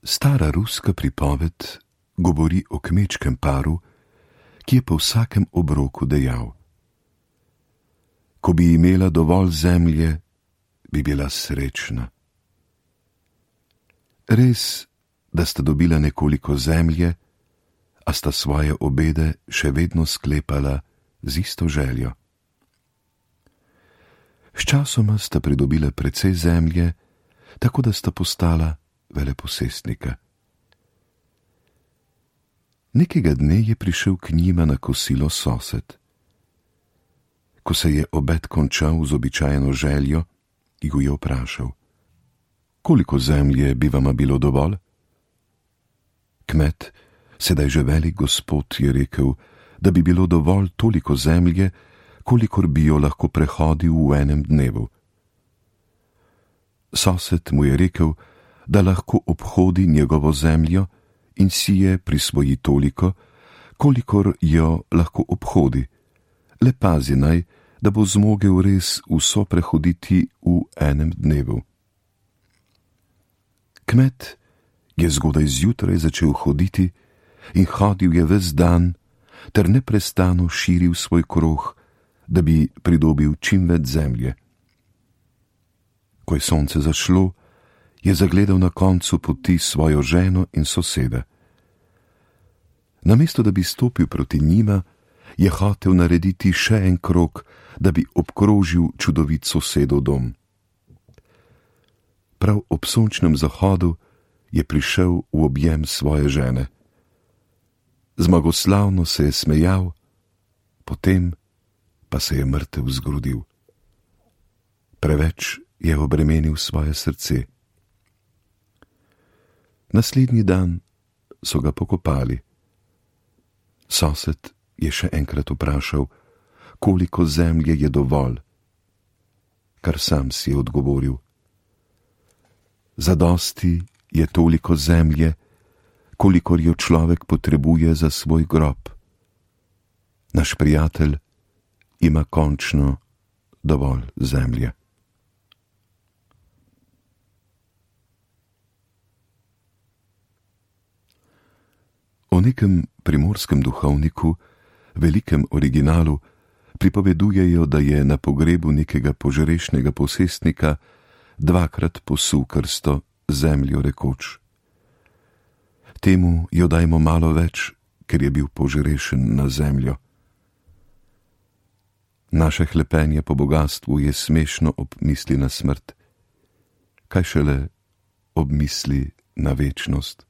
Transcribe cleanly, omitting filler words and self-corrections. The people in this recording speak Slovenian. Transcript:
Stara ruska pripoved govori o kmečkem paru, ki je po vsakem obroku dejal: ko bi imela dovolj zemlje, bi bila srečna. Res, da sta dobila nekoliko zemlje, a sta svoje obede še vedno sklepala z isto željo. Sčasoma sta pridobila precej zemlje, tako da sta postala veleposestnika. Nekega dne je prišel k njima na kosilo sosed. Ko se je obed končal z običajno željo, ju je vprašal: koliko zemlje bi vama bilo dovolj? Kmet, sedaj že velik gospod, je rekel, da bi bilo dovolj toliko zemlje, kolikor bi jo lahko prehodil v enem dnevu. Sosed mu je rekel, da lahko obhodi njegovo zemljo in si je prisvoji toliko, kolikor jo lahko obhodi, le pazi naj, da bo zmogel res vso prehoditi v enem dnevu. Kmet je zgodaj zjutraj začel hoditi in hodil je ves dan ter neprestano širil svoj krog, da bi pridobil čim več zemlje. Ko je sonce zašlo, je zagledal na koncu poti svojo ženo in soseda. Namesto da bi stopil proti njima, je hotel narediti še en krog, da bi obkrožil čudovit sosedov dom. Prav ob sončnem zahodu je prišel v objem svoje žene. Zmagoslavno se je smejal, potem pa se je mrtev zgrudil. Preveč je obremenil svoje srce. Naslednji dan so ga pokopali. Sosed je še enkrat vprašal, koliko zemlje je dovolj, kar sam si je odgovoril: zadosti je toliko zemlje, kolikor jo človek potrebuje za svoj grob. Naš prijatelj ima končno dovolj zemlje. O nekem primorskem duhovniku, velikem originalu, pripovedujejo, da je na pogrebu nekega požrešnega posestnika dvakrat posul krsto, zemljo rekoč: temu jo dajmo malo več, ker je bil požrešen na zemljo. Naše hlepenje po bogastvu je smešno ob misli na smrt, kaj šele ob misli na večnost.